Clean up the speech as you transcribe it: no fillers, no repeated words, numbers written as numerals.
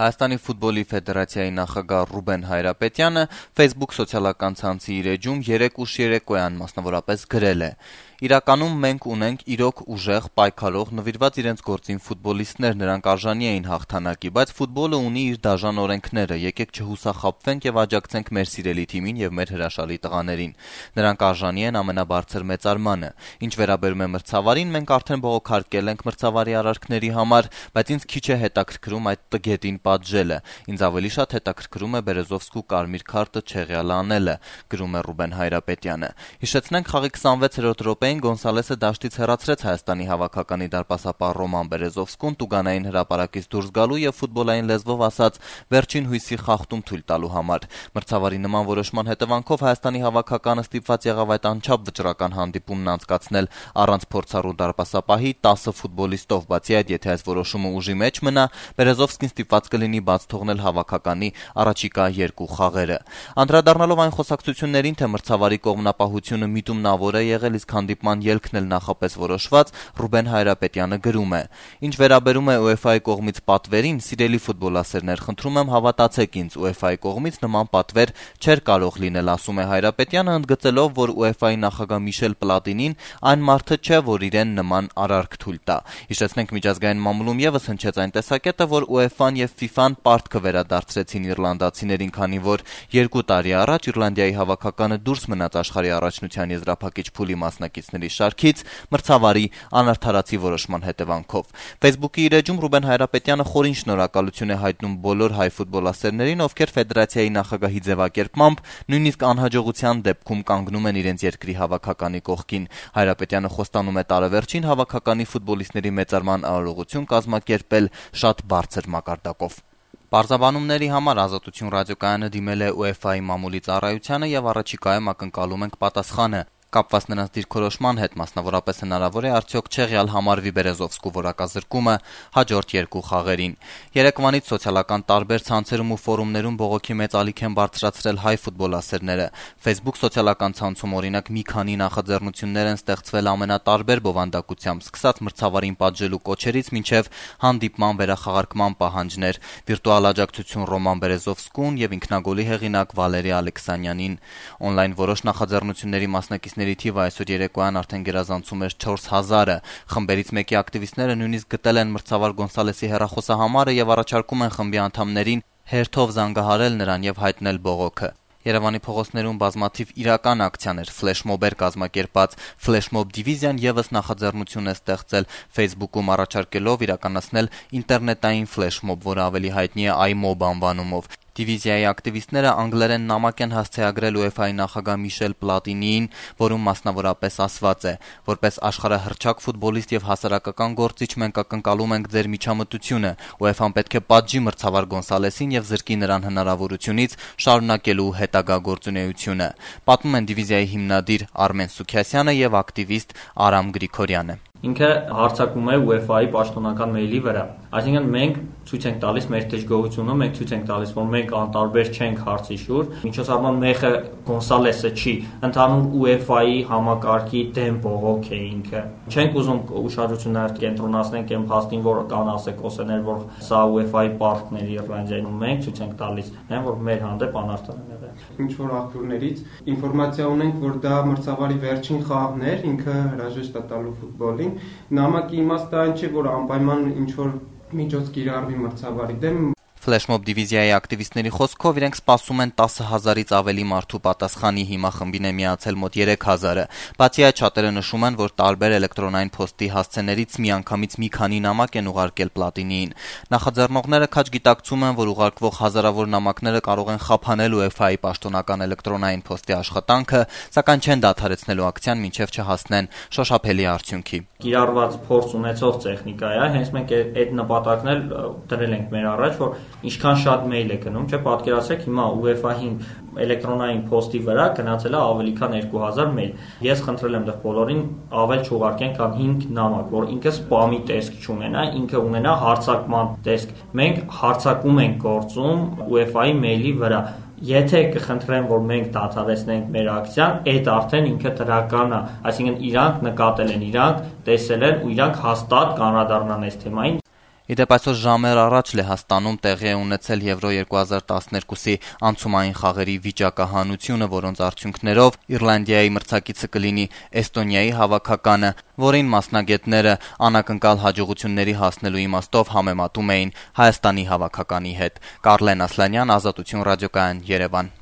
Հայաստանի ֆուտբոլի ֆեդերացիայի նախագահ Ռուբեն Հայրապետյանը Facebook սոցիալական ցանցի իր էջում 3 ուշ երեկոյան մասնավորապես գրել է. «Իրականում մենք ունենք իրոք ուժեղ, պայքարող, նվիրված իրենց գործին ֆուտբոլիստներ, նրանք արժանի էին հաղթանակի, բայց ֆուտբոլը ունի իր դաժան օրենքները, եկեք չհուսախաբվենք եւ աջակցենք մեր սիրելի թիմին եւ մեր հրաշալի տղաներին։ Նրանք արժանի են ամենաբարձր մեծարմանը։ Ինչ վերաբերում է մրցավարին, մենք արդեն բողոքարկել ենք մրցավարի արարքների համար, բայց ինձ քիչ է հետաքրքրում այդ տգետին պատժելը։ Ինձ ավելի շատ հետաքրքրում է Բերեզովսկու կարմիր քարտը չեղյալ անելը», գրում է Ռուբեն Հայրապետյանը։ Հիշեցնենք, խաղի 26-րդ րոպեին Գոնսալեսը դաշտից հեռացրեց Հայաստանի հավաքականի դարպասապահ Ռոման Բերեզովսկուն տուգանային հրապարակից դուրս գալու եւ ֆուտբոլային լեզվով ասած վերջին հույսի խախտում թույլ տալու համար։ Մրցավարի նման որոշման հետևանքով Հայաստանի հավաքականը ստիպված եղավ այդ անչափ վճռական հանդիպումն անցկացնել առանց փորձառու դարպասապահի 10 ֆուտբոլիստով, բացի այդ, եթե այս որոշումը ուժի մեջ մնա, Բերեզովսկին ստիպված կլինի բաց թողնել հավաքականի առաջիկա 2 խաղերը։ Անդրադառնալով այն խոսակցություններին, թե մրցավարի կողմնապահությունը միտումնավոր է եղել, իսկ հանդիպման ելքն էլ նախապես որոշված, Ռուբեն Հայրապետյանը գրում է. «Ինչ վերաբերում է UEFA-ի կողմից պատվերին, սիրելի ֆուտբոլասերներ, խնդրում եմ հավատացեք ինձ, UEFA-ի կողմից նման պատվեր չէր կարող լինել», ասում է Հայրապետյանը, ընդգծելով, որ UEFA-ի նախագահ Միշել Պլատինին այն մարդը չէ, որ իրեն նման արարք թույլ տա։ Հիշեցնենք, միջազգային մամուլում եւս հնչեց այն տեսակետը, որ UEFA-ն եւ FIFA-ն պարտքը վերադարձրեցին իռլանդացիներին, քանի որ 2 տարի առաջ Իռլանդիայի հավաքականը դուրս մնաց աշխարհի առաջնության եզրափակիչ փուլի մասնակիցների շարքից մրցավարի անարդարացի որոշման հետևանքով։ Facebook-ի իր էջում Ռուբեն Հայրապետյանը խորին շնորհակալություն է հայտնում բոլոր հայ ֆուտբոլասերներին, ովքեր ֆեդերացիայի նախագահի ձևակերպմամբ նույնիսկ անհաջողության դեպքում կանգնում են իրենց երկրի հավաքականի կողքին։ Հայրապետյանը խոստանում է տարեվերջին հավաքականի ֆուտբոլիստների մեծարման արարողություն կազմակերպել շատ բարձր մակարդակով։ Պարզաբանումների համար Ազատություն ռադիոկայանը դիմել է UEFA-ի մամուլի ծառայությանը եւ առաջիկայում ակնկալում ենք պատասխանը։ Կապված նրանց դիրքորոշման հետ, մասնավորապես հնարավոր է արդյոք չեղյալ համարվի Բերեզովսկու որակազրկումը հաջորդ 2 խաղերին։ Երեկվանից սոցիալական տարբեր ցանցերում ու ֆորումներում բողոքի մեծ ալիք են բարձրացրել հայ ֆուտբոլասերները։ Facebook սոցիալական ցանցում օրինակ մի քանի նախաձեռնություններ են ստեղծվել ամենատարբեր բովանդակությամբ, սկսած մրցավարին պատժելու կոչերից մինչև հանդիպման վերախաղարկման պահանջներ։ Վիրտուալ աջակցություն Ռոման Բերեզովսկուն եւ ինքնագոլի հեղինակ Վալերի Ալեքսանյանին։ Օնլայն որոշ նախաձեռնությունների մասնակիցների թիվը այսօր երեկոյան արդեն գերազանցում էր 4000-ը։ Խմբերից մեկի ակտիվիստները նույնիսկ գտել են մրցավար Գոնսալեսի հեռախոսահամարը եւ առաջարկում են խմբի անդամներին հերթով զանգահարել նրան եւ հայտնել բողոքը։ Երևանի փողոցներում բազմաթիվ իրական ակցիաներ, ֆլեշմոբեր կազմակերպած ֆլեշմոբ դիվիզիան եւս նախաձեռնություն է ստեղծել Facebook-ում առաջարկելով իրականացնել ինտերնետային ֆլեշմոբ, որը ավելի հայտնի է iMob անվանումով։ Դիվիզիայի ակտիվիստները անգլերեն նամակ են հասցեագրել UEFA-ի նախագահ Միշել Պլատինիին, որում մասնավորապես ասված է. «Որպես աշխարհահռչակ ֆուտբոլիստ եւ հասարակական գործիչ մենք ակնկալում ենք ձեր միջամտությունը։ UEFA-ն պետք է պատժի մրցավար Գոնսալեսին եւ զրկի նրան հնարավորությունից շարունակելու հետագա գործունեությունը», պատմում են դիվիզիայի հիմնադիր Արմեն Սուքիասյանը եւ ակտիվիստ Արամ Գրիգորյանը։ Ինքը հարձակում է UEFA-ի պաշտոնական մեյլի վրա։ Այսինքն մենք ցույց ենք տալիս մեր դժգոհությունը, մենք ցույց ենք տալիս, որ մենք անտարբեր չենք հարցի շուրջ։ Միջոցառման մեխը Գոնսալեսը չի, ընդհանուր UEFA-ի համակարգի դեմ բողոք է ինքը։ Չենք ուզում ուշադրություններ կենտրոնացնենք այն փաստին, որ կան ասեկոսեներ, որ սա UEFA-ի պարտքն է Իռլանդիայում, մենք ցույց ենք տալիս, որ մեր հանդեպ անարդար են եղել։ Ինչ որ աղբյուրներից ինֆորմացիա ունենք, որ դա մրցավարի վերջին խաղն էր, ինքը հրաժեշտ է տալու ֆուտբոլին։ Նամակի իմաստը այն չէ, որ անպայման ինչ որ միջոց կիրառվի մրցավարի դեմ։ Ֆլեշմոբ դիվիզիայի ակտիվիստների խոսքով իրենք սպասում են 10,000-ից ավելի մարդու պատասխանի, հիմա խմբին է միացել մոտ 3,000-ը։ Բացի այդ, շատերը նշում են, որ տարբեր էլեկտրոնային փոստի հասցեներից միանգամից մի քանի նամակ են ուղարկել Պլատինիին։ Նախաձեռնողները քաջ գիտակցում են, որ ուղարկվող հազարավոր նամակները կարող են խափանել UEFA-ի պաշտոնական էլեկտրոնային փոստի աշխատանքը, սակայն չեն դադարեցնելու ակցիան, մինչև չհասնեն շոշափելի արդյունքի։ Կիրառված փորձ ունեցող տեխնիկա է, հենց մենք այդ նպատակն էլ դրել ենք մեր առաջ, որ ինչքան շատ մեյլ է գնում, չէ՞, պատկերացրեք հիմա UEFA-ին էլեկտրոնային փոստի վրա գնացել է ավելի քան 2000 մեյլ։ Ես խնդրել եմ դեռ բոլորին ավել չուղարկեն, քան 5 նամակ, որ ինքը սպամի տեսք չունենա, ինքը ունենա հարցակման տեսք։ Մենք հարցակում ենք գործում UEFA-ի մեյլի վրա։ Եթե կխնդրեն, որ մենք դադարեցնենք մեր ակցիան, այդ արդեն ինքը դրական է, այսինքն իրանք նկատել են, իրանք տեսել են ու իրանք հաստատ կանրադառնան այս թեմային։ Իդեպ այսօր ժամեր առաջ Լեհաստանում տեղի է ունեցել Եվրո 2012-ի անցումային խաղերի վիճակահանությունը, որոնց արդյունքներով Իռլանդիայի մրցակիցը կլինի Էստոնիայի հավաքականը, որին մասնագետները անակնկալ հաջողությունների հասնելու իմաստով համեմատում էին Հայաստանի հավաքականի հետ։ Կարլեն Ասլանյան, Ազատություն ռադիոկայան, Երևան։